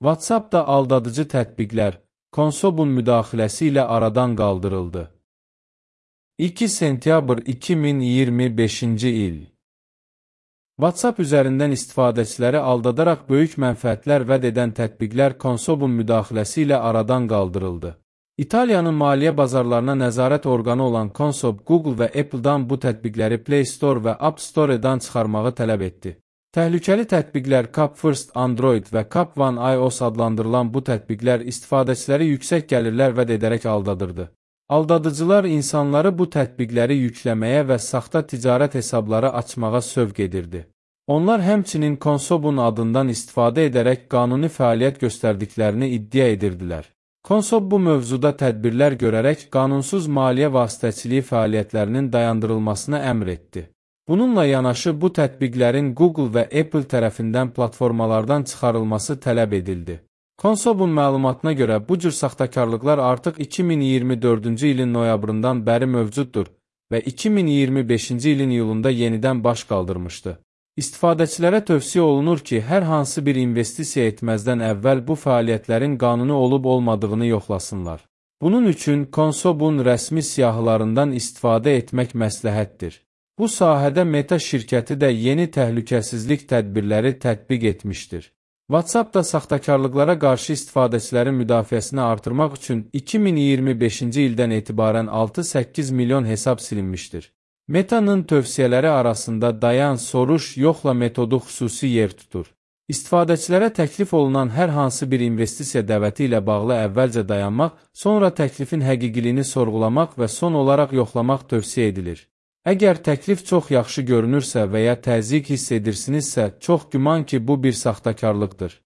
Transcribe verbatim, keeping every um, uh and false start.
WhatsApp-da aldadıcı tətbiqlər Konsobun müdaxiləsi ilə aradan qaldırıldı. iki sentyabr iki min iyirmi beşinci il WhatsApp üzərindən istifadəçiləri aldadaraq böyük mənfəətlər vəd edən tətbiqlər Konsobun müdaxiləsi ilə aradan qaldırıldı. İtaliyanın maliyyə bazarlarına nəzarət orqanı olan Consob, Google və Apple-dan bu tətbiqləri Play Store və App Store-dan çıxarmağı tələb etdi. Təhlükəli tətbiqlər Cap First Android və Cap One iOS adlandırılan bu tətbiqlər istifadəçiləri yüksək gəlirlər vəd edərək aldadırdı. Aldadıcılar insanları bu tətbiqləri yükləməyə və saxta ticarət hesabları açmağa sövq edirdi. Onlar həmçinin Konsobun adından istifadə edərək qanuni fəaliyyət göstərdiklərini iddia edirdilər. Konsob bu mövzuda tədbirlər görərək qanunsuz maliyyə vasitəçiliyi fəaliyyətlərinin dayandırılmasına əmr etdi. Bununla yanaşı bu tətbiqlərin Google və Apple tərəfindən platformalardan çıxarılması tələb edildi. Konsobun məlumatına görə bu cür saxtakarlıqlar artıq iki min iyirmi dördüncü ilin noyabrından bəri mövcuddur və iki min iyirmi beşinci ilin iyulunda yenidən baş qaldırmışdı. İstifadəçilərə tövsiyə olunur ki, hər hansı bir investisiya etməzdən əvvəl bu fəaliyyətlərin qanuni olub-olmadığını yoxlasınlar. Bunun üçün Konsobun rəsmi siyahılarından istifadə etmək məsləhətdir. Bu sahədə Meta şirkəti də yeni təhlükəsizlik tədbirləri tətbiq etmişdir. WhatsApp da saxtakarlıqlara qarşı istifadəçilərin müdafiəsini artırmaq üçün iki min iyirmi beşinci ildən etibarən altı səkkiz milyon hesab silinmişdir. Meta'nın tövsiyələri arasında dayan, soruş, yoxla metodu xüsusi yer tutur. İstifadəçilərə təklif olunan hər hansı bir investisiya dəvəti ilə bağlı əvvəlcə dayanmaq, sonra təklifin həqiqiliyini sorğulamaq və son olaraq yoxlamaq tövsiyə edilir. Əgər təklif çox yaxşı görünürsə və ya təzyiq hiss edirsinizsə, çox güman ki, bu bir saxtakarlıqdır.